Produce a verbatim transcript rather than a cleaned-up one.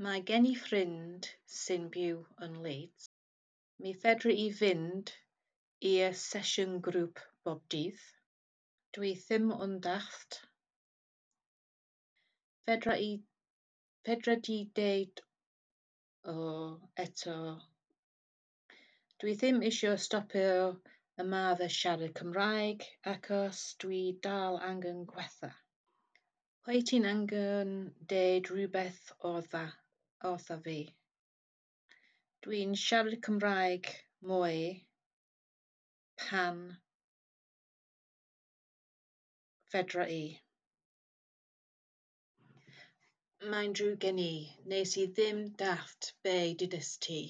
Mae gen i ffrind sy'n byw yn Leeds. Mi fedra i fynd i'r sesiwn grŵp bob dydd. Dwi ddim yn dallt. Fedra i fedra di deud o eto. Dwi ddim isio stopio ymarfer siarad Cymraeg achos dwi dal angen gwella. Wyt ti'n angen deud rhywbeth wrtha, wrtha fi? Dwi'n siarad Cymraeg mwy pan fedra i. Mae'n drwg gen i, nes i ddim dallt be dudest ti.